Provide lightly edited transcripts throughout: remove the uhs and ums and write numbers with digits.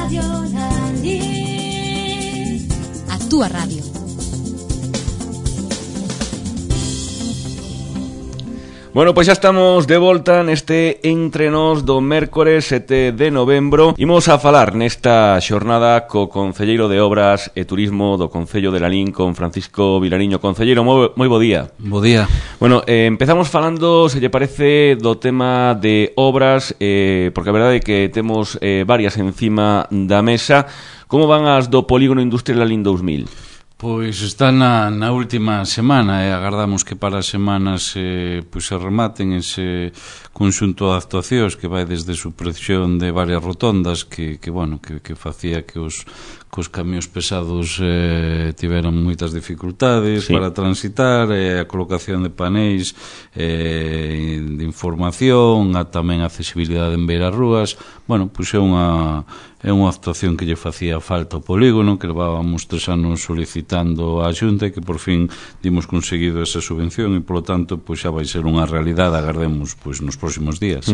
Radio Lalín. A túa radio. Bueno, pois xa estamos de volta neste Entre Nós do mércores 7 de novembro. Imos a falar nesta xornada co concelleiro de Obras e Turismo do Concello de Lalín, con Francisco Vilariño. Concelleiro, moi bo día. Bo día. Bueno, empezamos falando, se lle parece, do tema de obras, porque a verdade é que temos varias encima da mesa. Como van as do Polígono Industrial Lalín 2000? Pois está na última semana e agardamos que para as semanas pois se rematen ese conxunto de actuacións que vai desde supresión de varias rotondas que facía que os camións pesados tiveran moitas dificultades para transitar, a colocación de paneis de información, tamén a accesibilidade en beiras rúas. Bueno, pois é unha actuación que lle facía falta ao polígono, que levábamos 3 anos solicitando á Xunta e que por fin dimos conseguido esa subvención e polo tanto pois xa vai ser unha realidade, agardemos pois nos próximos días.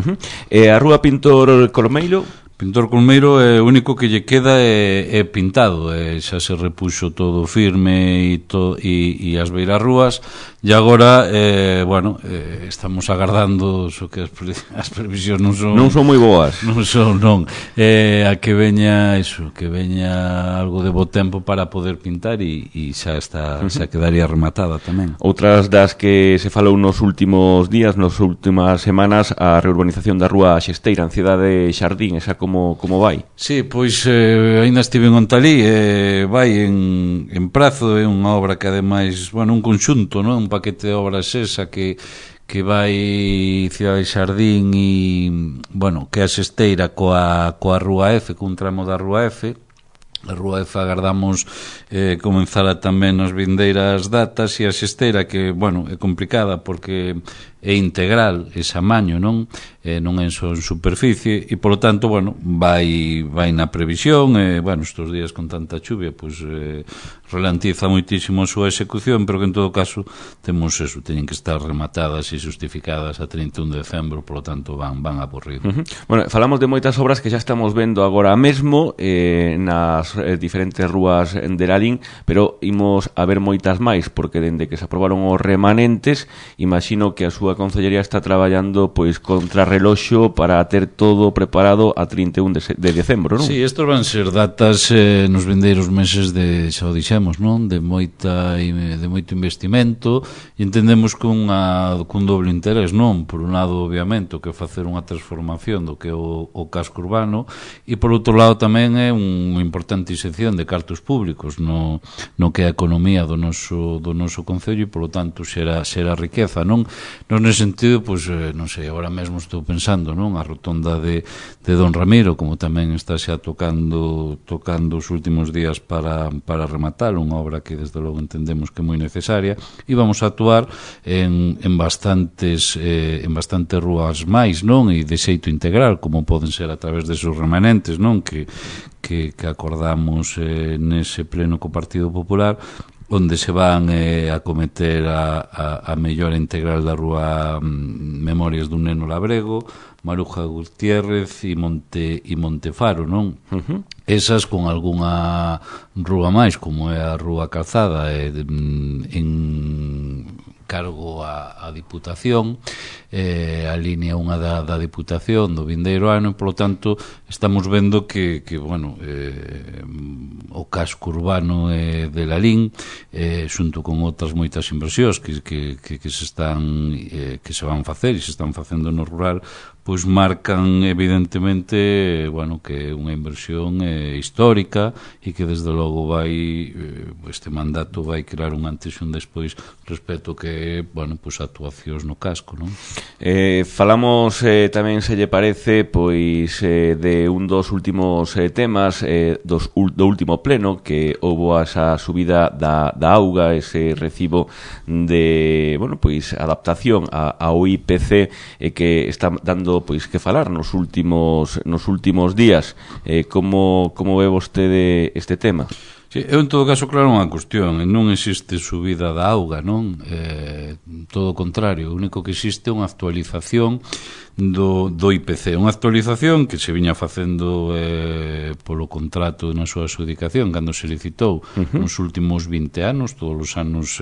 E a Rúa Pintor Colmeiro? Pintor Colmeiro, o único que lle queda é pintado, xa se repuxo todo firme e as beiras rúas e agora, estamos agardando que as previsións non son moi boas. Non, a que veña algo de bo tempo para poder pintar e xa está, xa quedaría rematada tamén. Outras das que se falou nos últimos días, nas últimas semanas, a reurbanización da Rúa Xesteira, en Cidade Xardín, esa como vai? Sí, pois ainda estive en Ontalí, vai en prazo, é unha obra que ademais, un conxunto, non? Un paquete de obras esa que vai Cidade Xardín e, que é a Xesteira coa Rúa F, cun tramo da Rúa F. A Rúa F agardamos comenzara tamén nas vindeiras datas e a Xesteira que, é complicada porque é integral ese amaño, non é só en superficie e polo tanto, vai na previsión estes días con tanta chuvia ralentiza moitísimo a súa execución, pero que en todo caso temos eso, teñen que estar rematadas e justificadas a 31 de decembro, polo tanto van a porrido. Falamos de moitas obras que xa estamos vendo agora mesmo nas diferentes rúas de Lalín, pero imos a ver moitas máis, porque dende que se aprobaron os remanentes, imagino que a súa Concellería está traballando contra reloxo para ter todo preparado a 31 de decembro, non? Sí, estos van ser datas nos vindeiros meses xa o dixemos, non? De moito investimento e entendemos cun doble interés, non? Por un lado, obviamente, o que facer unha transformación do que é o casco urbano e por outro lado tamén é unha importante inserción de cartos públicos no que é a economía do noso concello e polo tanto xera riqueza, non? Nese sentido, non sei, agora mesmo estou pensando, non? A rotonda de Don Ramiro, como tamén está xa tocando os últimos días para rematar, unha obra que desde logo entendemos que é moi necesaria, e vamos a actuar en bastantes rúas máis, non? E de xeito integral, como poden ser a través desos remanentes, non? Que acordamos nese pleno co Partido Popular, onde se van a cometer a mellora integral da Rúa Memorias dun Neno Labrego, Maruja Gutiérrez e Montefaro, non? Esas con algunha rúa máis, como é a Rúa Calzada, en cargo a Diputación, a línea 1 da Diputación do vindeiro ano, e polo tanto estamos vendo que o casco urbano de Lalín, xunto con outras moitas inversións que se van facer e se están facendo no rural, pois marcan evidentemente que é unha inversión histórica e que desde logo este mandato vai crear un antes e un despois respecto que actuacións no casco, non? Falamos tamén, se lle parece, de un dos últimos temas do último pleno, que houbo esa subida da auga, ese recibo de adaptación ao IPC que está dando que falar nos últimos días. Como ve vostede este tema? Sí, eu en todo caso claro unha cuestión, non existe subida da auga, non? Todo o contrario, o único que existe é unha actualización do IPC. Unha actualización que se viña facendo polo contrato na súa adjudicación cando se licitou nos últimos 20 anos, todos os anos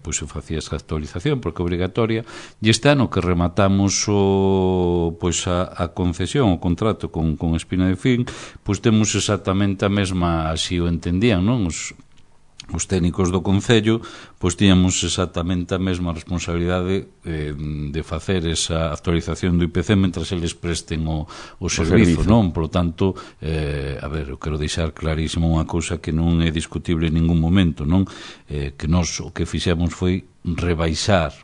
pois se facía esa actualización porque é obrigatoria, e este ano que rematamos a concesión, o contrato con Espina de Fin, pois temos exactamente a mesma, así o entendían, non? Os técnicos do Concello pois tiñamos exactamente a mesma responsabilidade de facer esa actualización do IPC mentras eles presten o servizo, non? Por lo tanto, eu quero deixar clarísimo unha cousa que non é discutible en ningún momento, non? Que nós o que fixemos foi rebaixar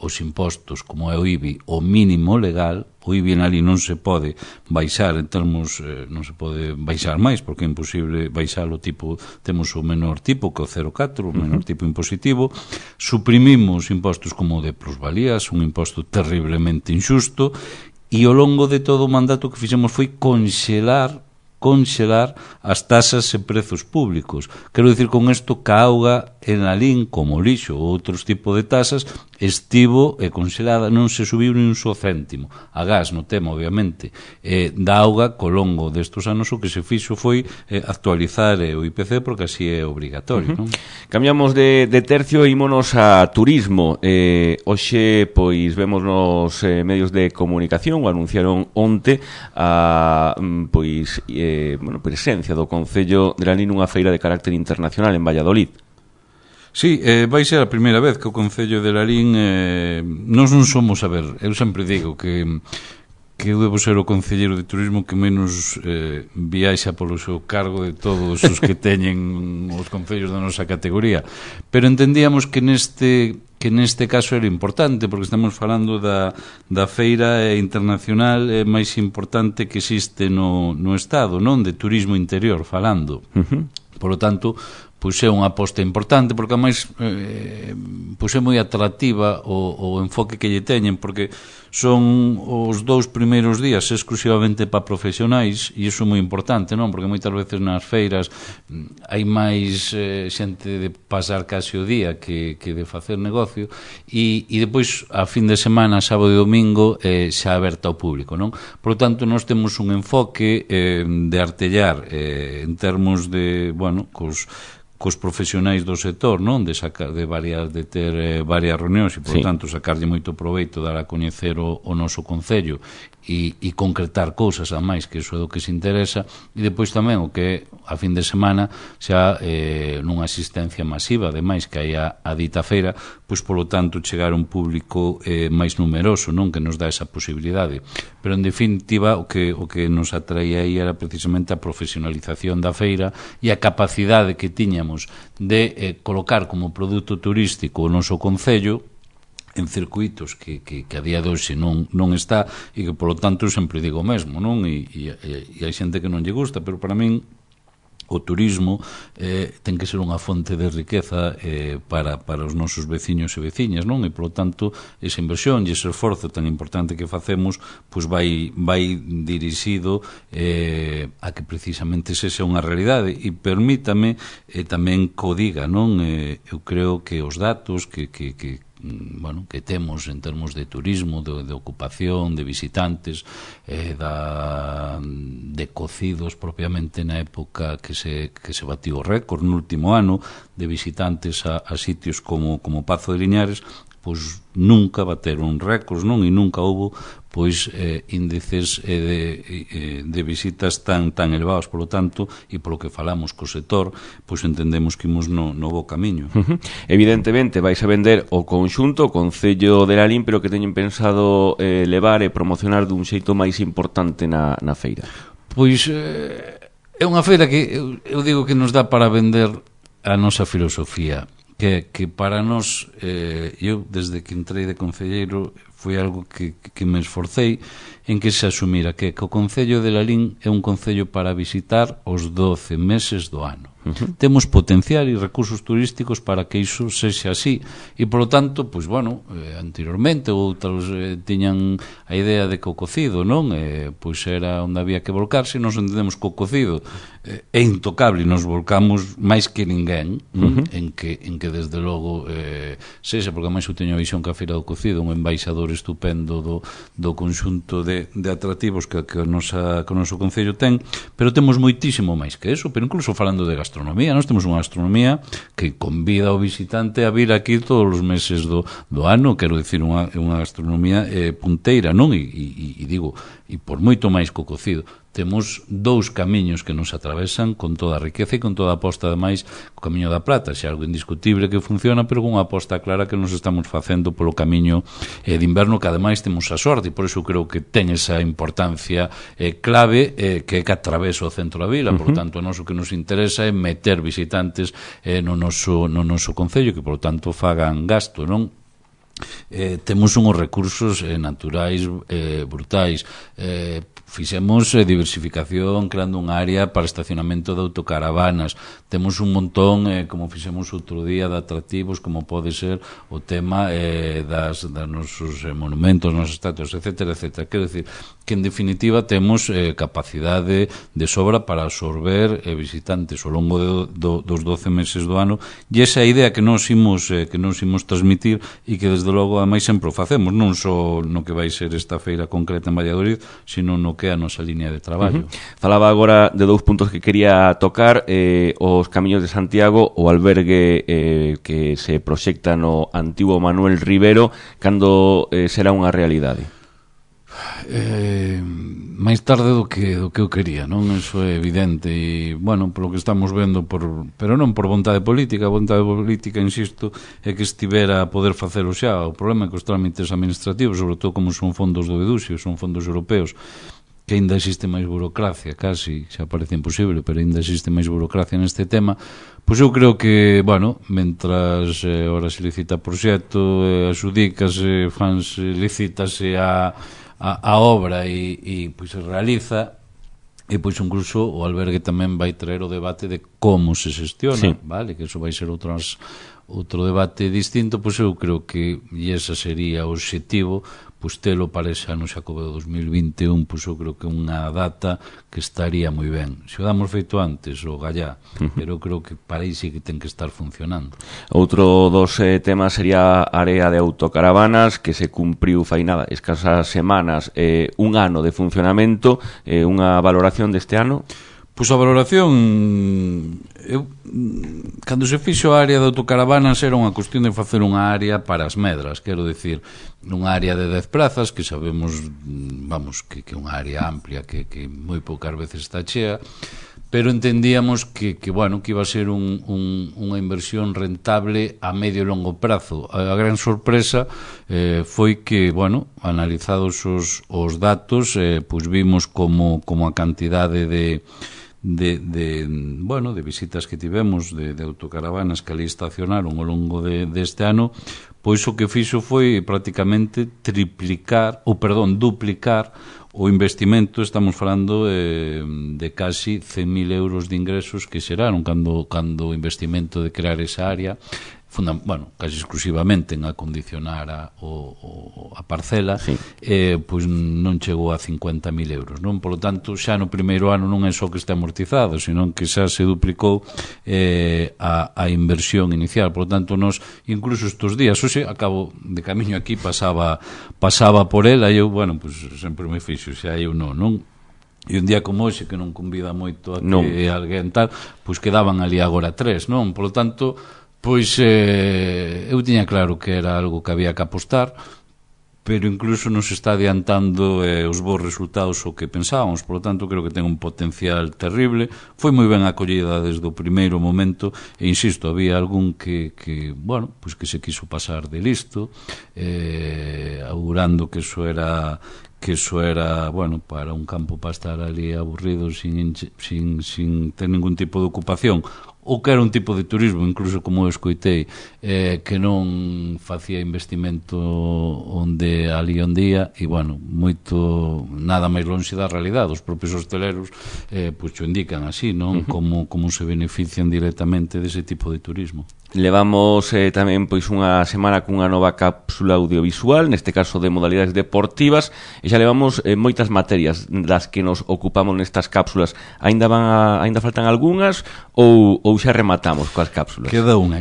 os impostos como é o IBI o mínimo legal. O IBI en ali non se pode baixar en termos, non se pode baixar máis porque é imposible baixar o tipo, temos o menor tipo que o 0,4, o menor tipo impositivo. Suprimimos impostos como o de plusvalías, un imposto terriblemente injusto, e ao longo de todo o mandato que fixemos foi conxelar as tasas e prezos públicos. Quero dicir con isto que a auga en Lalín, como o lixo ou outros tipos de tasas, estivo conxelada, non se subiu ni un só céntimo. A gas, no tema, obviamente, da auga, co longo destos anos o que se fixo foi actualizar o IPC porque así é obrigatorio. Non? Cambiamos de tercio e ímonos a turismo. Hoxe, pois, vemos nos medios de comunicación, o anunciaron onte a presencia do Concello de Lalín nunha feira de carácter internacional en Valladolid. Sí, vai ser a primeira vez que o Concello de Lalín nós non somos, eu sempre digo que eu debo ser o concelleiro de turismo que menos viaxa polo seu cargo de todos os que teñen os concellos da nosa categoría, pero entendíamos que neste caso era importante porque estamos falando da feira internacional máis importante que existe no Estado, non? De turismo interior falando. Por lo tanto, pois é unha aposta importante porque ademais pois é moi atractiva o enfoque que lle teñen porque son os 2 primeiros días exclusivamente para profesionais e iso é moi importante, non? Porque moitas veces nas feiras hai máis xente de pasar case o día que de facer negocio e depois a fin de semana, sábado e domingo xa aberta ao público, non? Por lo tanto, nós temos un enfoque de artellar en termos de, cos profesionais do sector, non? De ter varias reunións e, por tanto, sacarlle moito proveito, dar a coñecer o noso Concello e concretar cousas a máis, que iso é o que se interesa, e depois tamén o que a fin de semana xa nunha asistencia masiva, ademais que hai a dita feira, pois polo tanto chegar a un público máis numeroso, non? Que nos dá esa posibilidade. Pero en definitiva o que nos atraía aí era precisamente a profesionalización da feira e a capacidade que tiñamos de colocar como produto turístico o noso Concello en circuitos que a día de hoxe non está e que, polo tanto, sempre digo o mesmo, non? E hai xente que non lle gusta, pero para min o turismo ten que ser unha fonte de riqueza para os nosos veciños e veciñas, non? E, polo tanto, esa inversión e ese esforzo tan importante que facemos pois vai dirixido a que precisamente esa sea unha realidade e permítame tamén que o diga, non? Eu creo que os datos que temos en termos de turismo, de ocupación, de visitantes, de cocidos propiamente na época que se batió o récord no último ano de visitantes a sitios como Pazo de Liñares, pois nunca bateron récords, non? E nunca houbo pois índices de visitas tan elevados, polo tanto, e polo que falamos co sector, pois entendemos que imos no bo camiño. Evidentemente vais a vender o conxunto, o Concello de Lalín, pero que teñen pensado levar e promocionar dun xeito máis importante na feira. Pois é unha feira que eu digo que nos dá para vender a nosa filosofía, que para nós, eu desde que entrei de concelleiro foi algo que me esforcei en que se asumira que o Concello de Lalín é un concello para visitar os 12 meses do ano. Temos potencial e recursos turísticos para que iso sexa así. E, polo tanto, pois, bueno, anteriormente outros tiñan a idea de que o cocido, non? Pois era onde había que volcarse, e nos entendemos que o cocido é intocable e nos volcamos máis que ninguén en que desde logo sexa, porque máis eu teño a visión que a Feira do Cocido, un embaixador estupendo do conxunto de atractivos que o noso Concello ten, pero temos moitísimo máis que eso. Pero incluso falando de gastronomía, nós temos unha gastronomía que convida ao visitante a vir aquí todos os meses do ano, quero dicir, unha gastronomía punteira, non? E digo, e por moito máis que o cocido, temos dous camiños que nos atravesan con toda a riqueza e con toda a aposta, ademais, o Camiño da Plata, xa algo indiscutible que funciona, pero con unha aposta clara que nos estamos facendo polo camiño de inverno, que ademais temos a sorte, e por iso creo que ten esa importancia clave, que é que atravesa o centro da vila. Por tanto, o noso que nos interesa é meter visitantes no noso Concello, que, por tanto, fagan gasto, non? Temos unhos recursos naturais brutais. Fixemos diversificación creando unha área para estacionamento de autocaravanas. Temos un montón, como fixemos outro día, de atractivos, como pode ser o tema das nosos monumentos, nosos estatuas, etcétera, etcétera. Quero dicir que, en definitiva, temos capacidade de sobra para absorber visitantes ao longo dos 12 meses do ano, e esa idea que nos imos transmitir, e que, desde logo, a máis sempre o facemos, non só no que vai ser esta feira concreta en Valladolid, sino no que é a nosa línea de traballo. Falaba agora de dous puntos que quería tocar, os Camiños de Santiago, o albergue que se proxecta no antigo Manuel Rivero, cando será unha realidade? Máis tarde do que eu quería, non? Eso é evidente, e, bueno, polo que estamos vendo, pero non por vontade política. A vontade política, insisto, é que estivera a poder facelo xa. O problema é que os trámites administrativos, sobre todo como son fondos do EDUSIO, son fondos europeos, que ainda existe máis burocracia, casi, xa parece imposible, pero ainda existe máis burocracia neste tema. Pois eu creo que, bueno, mentras ora se licita proxecto, axudícase, licítase a obra e pois se realiza, e pois incluso o albergue tamén vai traer o debate de como se xestiona, sí, vale, que eso vai ser outro debate distinto. Pois eu creo que, e ese sería o obxectivo, pois telo para ese ano Xacobeo 2021, pois eu creo que é unha data que estaría moi ben. Se o damos feito antes, o gallá, pero eu creo que para aí sí que ten que estar funcionando. Outro dos temas sería a área de autocaravanas, que se cumpriu fai nada, escasas semanas, un ano de funcionamento, unha valoración deste ano? Pois a valoración, cando se fixo a área de autocaravanas, era unha cuestión de facer unha área para as medras, quero dicir, unha área de 10 prazas, que sabemos, vamos, que é unha área amplia, que moi poucas veces está chea, pero entendíamos que bueno, que iba a ser unha inversión rentable a medio e longo prazo. A gran sorpresa foi que, bueno, analizados os datos, pois vimos como a cantidade de visitas que tivemos de autocaravanas que ali estacionaron ao longo deste ano, pois o que fixo foi prácticamente duplicar o investimento. Estamos falando de casi 100.000 euros de ingresos que xeraron cando o investimento de crear esa área, casi exclusivamente en acondicionar a parcela, sí, pois non chegou a 50.000 euros, non? Por lo tanto, xa no primeiro ano non é só que está amortizado, senón que xa se duplicou a inversión inicial. Por lo tanto, nos, incluso estes días, hoxe, acabo de camiño aquí, pasaba por ela, e eu, bueno, pois sempre me fixo, xa eu non? E un día como hoxe, que non convida moito a que alguén tal, pois quedaban ali agora 3, non? Por lo tanto, pois eu tiña claro que era algo que había que apostar, pero incluso nos está adiantando os bons resultados o que pensábamos. Por lo tanto, creo que ten un potencial terrible. Foi moi ben acollida desde o primeiro momento, e insisto, había algún que pois que se quiso pasar de listo, augurando que eso era, bueno, para un campo para estar ali aburrido sin ter ningún tipo de ocupación, ou que era un tipo de turismo, incluso como eu escoitei, que non facía investimento onde ali onde ia, e bueno, moito nada máis lonxe da realidade. Os propios hosteleros pois o indican así, non? Como se benefician directamente dese tipo de turismo. Levamos tamén pois unha semana cunha nova cápsula audiovisual, neste caso de modalidades deportivas, e xa levamos moitas materias das que nos ocupamos nestas cápsulas. Ainda faltan algunhas ou xa rematamos coas cápsulas? Queda unha.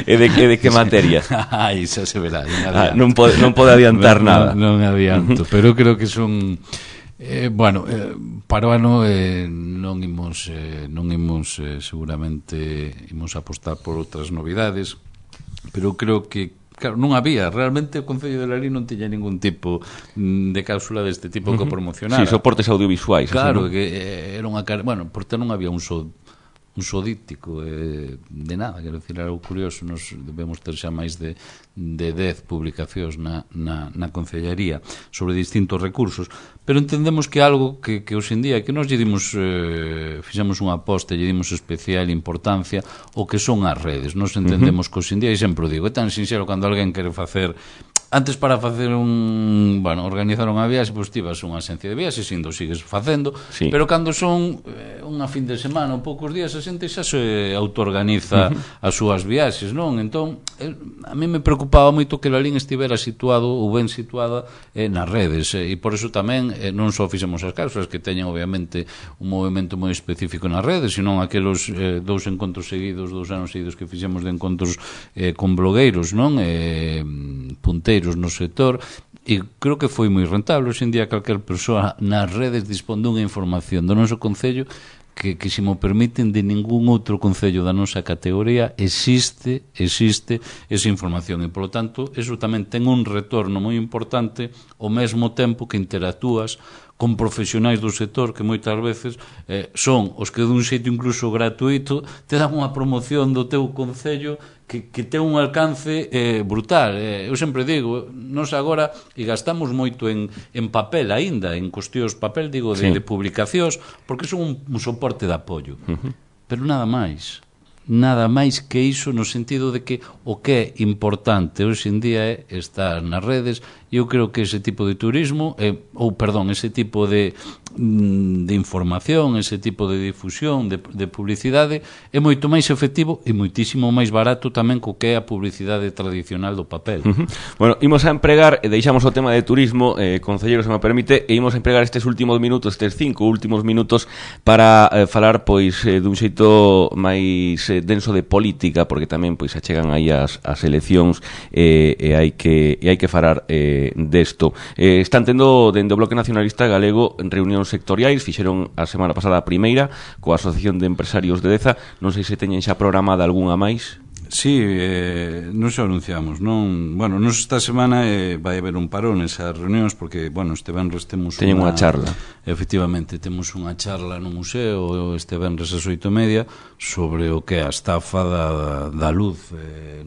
E de que materia? Ai, xa se verá. Non pode adiantar nada. Non adianto, pero creo que son... para o ano non imos seguramente imos apostar por outras novidades, pero creo que claro, non había, realmente o Concello de Lalín non tiña ningún tipo de cápsula deste tipo que promocionara. Sí, soportes audiovisuais. Claro, así, ¿no? que era unha... Bueno, porque non había un díptico de nada, quero dicir, algo curioso. Nos debemos ter xa máis de 10 publicacións na Concellaría sobre distintos recursos, pero entendemos que algo que hoxe en día, que nos lle dimos fixamos unha aposta, lle dimos especial importancia o que son as redes. Nos entendemos que hoxe en día, e sempre o digo, é tan sincero cando alguén quere facer... Antes, para facer organizar unha viaxe, pois tivas unha agencia de viaxes, indo sigues facendo, sí. Pero cando son unha fin de semana ou poucos días, a xente xa se autoorganiza as súas viaxes, non? Entón, a mí me preocupaba moito que Lalín estivera situado ou ben situada nas redes, e por eso tamén non só fixemos as cápsulas que teñen obviamente un movimento moi específico nas redes, senón aqueles 2 encontros seguidos, 2 anos seguidos que fixemos de encontros con blogueiros, non? Punteiros no sector, e creo que foi moi rentable. Hoxe en día calquer persoa nas redes dispón dunha información do noso concello que se mo permiten, de ningún outro concello da nosa categoría existe esa información, e polo tanto eso tamén ten un retorno moi importante ao mesmo tempo que interactúas con profesionais do sector que moitas veces son os que dun xeito incluso gratuito te dan unha promoción do teu concello que ten un alcance brutal. Eu sempre digo, nos agora e gastamos moito en papel aínda, en cuestións papel, digo, de publicacións, porque son un soporte de apoio. Pero nada máis que iso, no sentido de que o que é importante hoxe en día é estar nas redes. E eu creo que ese tipo de turismo ese tipo de información, ese tipo de difusión, de publicidade é moito máis efectivo e moitísimo máis barato tamén co que é a publicidade tradicional do papel. Bueno, imos a empregar, deixamos o tema de turismo, concelleiro, se me permite, e imos a empregar estes últimos minutos, estes 5 últimos minutos, para falar pois dun xeito máis denso de política, porque tamén pois achegan aí as eleccións, e hai que falar desto. Están tendo dende o Bloque Nacionalista Galego reunións sectoriais, fixeron a semana pasada a primeira coa Asociación de Empresarios de Deza. Non sei se teñen xa programada algunha máis. Sí, nos anunciamos, non? Bueno, nos esta semana vai haber un parón nesas reunións, porque, bueno, este venres temos unha charla. Efectivamente, temos unha charla no museo este venres ás 8:30 sobre o que é a estafa da luz,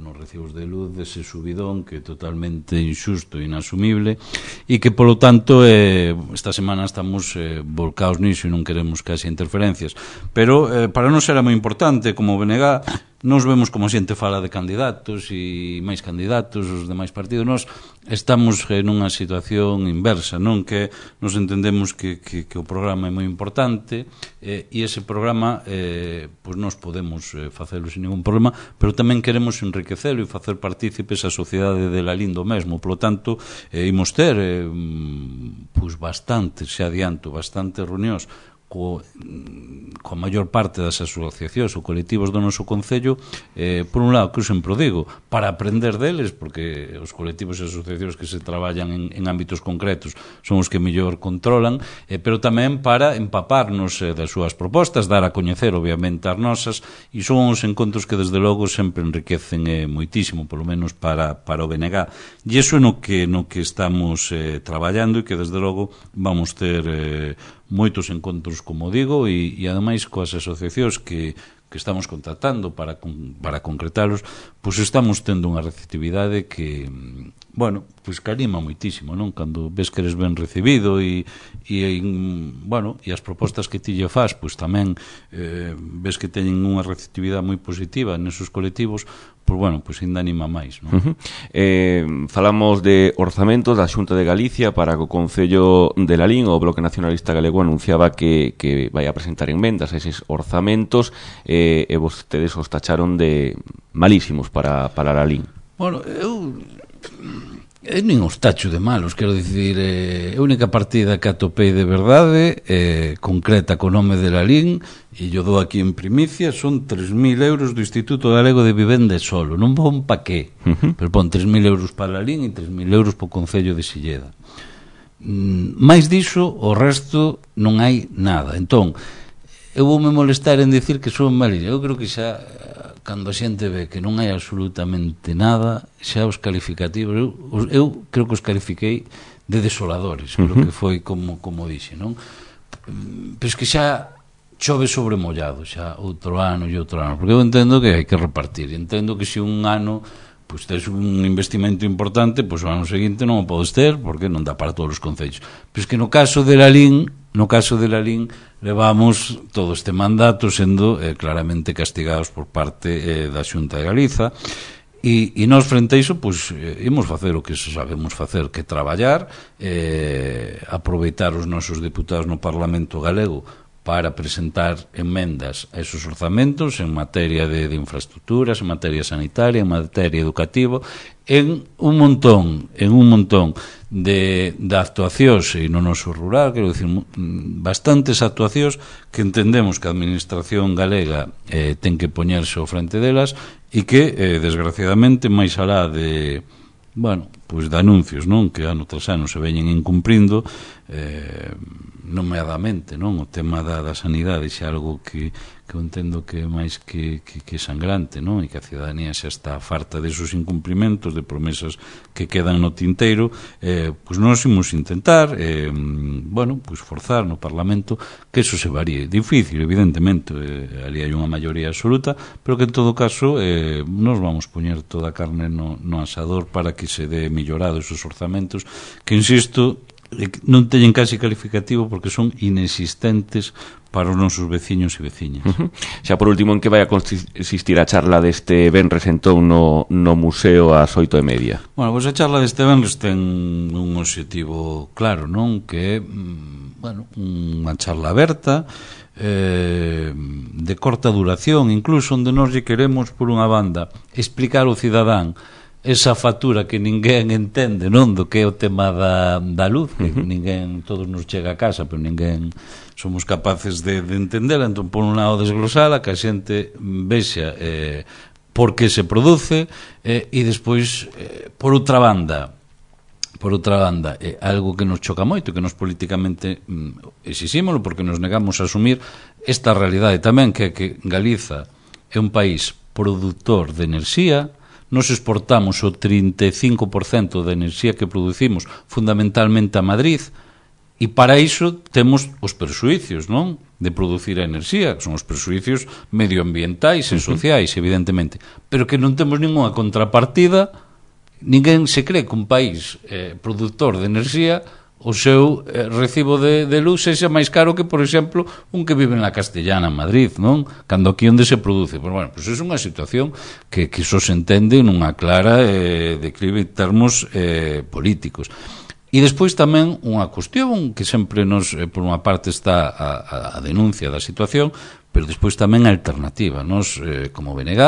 nos recibos de luz, dese subidón que é totalmente injusto e inasumible, e que, polo tanto, esta semana estamos volcados niso e non queremos que haxa interferencias. Pero para nós era moi importante, como BNG, nos vemos como a xente fala de candidatos e máis candidatos, os demais partidos. Nos estamos nunha situación inversa, non? Que nos entendemos que o programa é moi importante, e ese programa pois nos podemos facelo sin ningún problema, pero tamén queremos enriquecelo e facer partícipes a sociedade de Lalín do mesmo. Por lo tanto, imos ter pois bastantes reunións coa maior parte das asociacións ou colectivos do noso concello, por un lado, que eu sempre digo, para aprender deles, porque os colectivos e asociacións que se traballan en ámbitos concretos son os que mellor controlan, pero tamén para empaparnos das súas propostas, dar a coñecer obviamente as nosas, e son os encontros que desde logo sempre enriquecen moitísimo, polo menos para o BNG, e iso é no que estamos traballando, e que desde logo vamos ter moitos encontros, como digo, e ademais coas asociacións que que estamos contratando para concretalos, pois estamos tendo unha receptividade que, bueno, pois que anima moitísimo, non? Cando ves que eres ben recibido e as propostas que ti lle faz, pois tamén ves que teñen unha receptividade moi positiva nesos colectivos, pois bueno, pois ainda anima máis, non? Falamos de orzamentos da Xunta de Galicia para que o Concello de Lalín, o Bloque Nacionalista Galego anunciaba que vai a presentar enmendas a eses orzamentos, e vostedes os tacharon de malísimos para Lalín. Bueno, eu nin os tacho de malos, quero dicir, a única partida que atopei de verdade concreta co nome de Lalín, e yo dou aquí en primicia, son 3.000 euros do Instituto Galego de Vivenda e Solo, non pon pa qué, pero pon 3.000 euros para Lalín e 3.000 euros para o Concello de Silleda. Máis diso, o resto non hai nada. Entón, eu voume molestar en dicir que son malillas. Eu creo que xa, cando a xente ve que non hai absolutamente nada, xa os calificativos, eu creo que os califiquei de desoladores, creo que foi como dixe, non? Pero es que xa chove sobre mollado, xa outro ano e outro ano, porque eu entendo que hai que repartir, entendo que se un ano pois tes un investimento importante, pois o ano seguinte non o podes ter, porque non dá para todos os concellos. Pois que no caso de Lalín, levamos todo este mandato sendo claramente castigados por parte da Xunta de Galiza, e nós frente a iso, pois, imos facer o que sabemos facer, que traballar, aproveitar os nosos deputados no Parlamento Galego para presentar enmendas a esos orzamentos en materia de infraestructuras, en materia sanitaria, en materia educativa, en un montón de actuacións e no noso rural, quero dicir, bastantes actuacións que entendemos que a Administración galega ten que poñerse ao frente delas e que, desgraciadamente, máis alá de pois de anuncios, non, que ano tras ano se veñen incumprindo, nomeadamente, non, o tema da sanidade xa algo que eu entendo que é máis que sangrante, non, e que a ciudadanía xa está farta desos incumprimentos, de promesas que quedan no tinteiro. Pois nós imos intentar pois forzar no Parlamento que eso se varíe. Difícil, evidentemente, ali hai unha maioría absoluta, pero que en todo caso nós vamos poñer toda a carne no asador para que se dé mellorado esos orzamentos, que, insisto, non teñen casi calificativo porque son inexistentes para os nosos veciños e veciñas. Xa por último, en que vai a consistir a charla deste venres entón no museo ás 8:30? Bueno, pois a charla deste venres ten un obxectivo claro, non? Que é, unha charla aberta, de corta duración, incluso onde nós lle queremos, por unha banda, explicar ao cidadán esa factura que ninguén entende, non, do que é o tema da luz, que ninguén, todos nos chega a casa, pero ninguén somos capaces de entendela. Entón, por un lado, desglosala, que a xente vexa por que se produce, e despois, por outra banda, algo que nos choca moito, que nos políticamente exixímolo, porque nos negamos a asumir esta realidade tamén, que é que Galiza é un país produtor de enerxía. Nos exportamos o 35% da enerxía que producimos fundamentalmente a Madrid, e para iso temos os perxuicios, non, de producir a enerxía, que son os perxuicios medioambientais e sociais, evidentemente, pero que non temos ninguna contrapartida. Ninguén se cree que un país produtor de enerxía, o seu recibo de luz sexa máis caro que, por exemplo, un que vive na Castellana, en Madrid, non? Cando aquí onde se produce. Pois, bueno, pois é unha situación que iso se entende nunha clara declive en termos políticos. E despois tamén unha cuestión que sempre nos, por unha parte, está a denuncia da situación, pero despois tamén a alternativa. Nos, como BNG,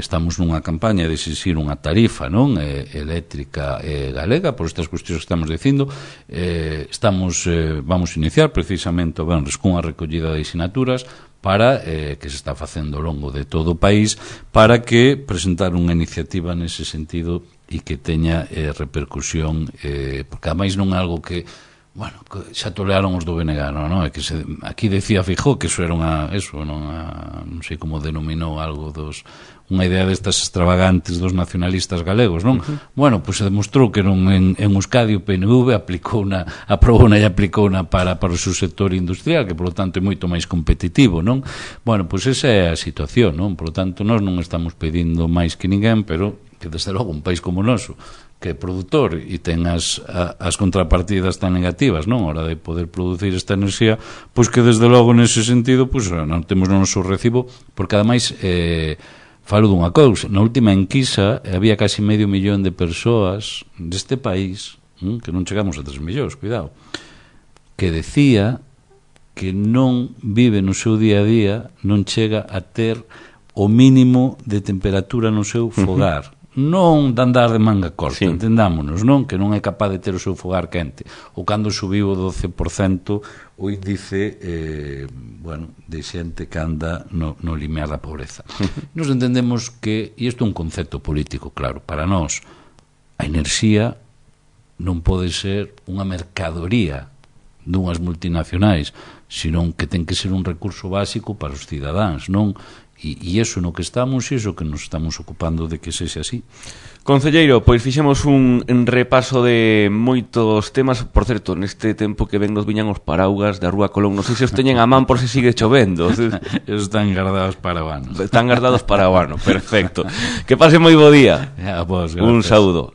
estamos nunha campaña de exixir unha tarifa, non, eléctrica galega, por estas cuestións que estamos dicindo. Vamos a iniciar precisamente o venres cunha recollida de sinaturas para que se está facendo ao longo de todo o país, para que presentar unha iniciativa nese sentido e que teña repercusión, porque ademais non é algo que bueno, xa tolearon os do BNG, non? É que aquí decía Feijóo que eso era non sei como denominou algo unha idea destas extravagantes dos nacionalistas galegos, non? Bueno, pois se demostrou que non en Euskadi o PNV aprobouna e aplicouna para o seu sector industrial, que por lo tanto é moito máis competitivo, non? Bueno, pois esa é a situación, non? Por lo tanto, nós non estamos pedindo máis que ninguén, pero que desde logo un país como o noso, que é produtor e ten as contrapartidas tan negativas, non? A hora de poder producir esta enerxía, pois que desde logo nese sentido pois non temos o noso recibo, porque ademais falo dunha cousa, na última enquisa había casi 500.000 de persoas deste país, que non chegamos a 3 millóns, cuidado, que decía que non vive no seu día a día, non chega a ter o mínimo de temperatura no seu fogar. Non de andar de manga corta, sí. Entendámonos, non? Que non é capaz de ter o seu fogar quente. Ou cando subiu o 12% o índice de xente que anda no limiar da pobreza. Nos entendemos que, e isto é un concepto político, claro, para nós, a enerxía non pode ser unha mercadoría dunhas multinacionais, senón que ten que ser un recurso básico para os cidadáns, non? E iso no que estamos e iso que nos estamos ocupando de que sexa así. Concelleiro, pois fixemos un repaso de moitos temas. Por certo, neste tempo que ven nos viñan os paraugas da Rúa Colón, non sei se os teñen a man por se sigue chovendo. Están guardados para o ano. Están guardados para o ano, perfecto. Que pase moi bo día. A vos, un saúdo.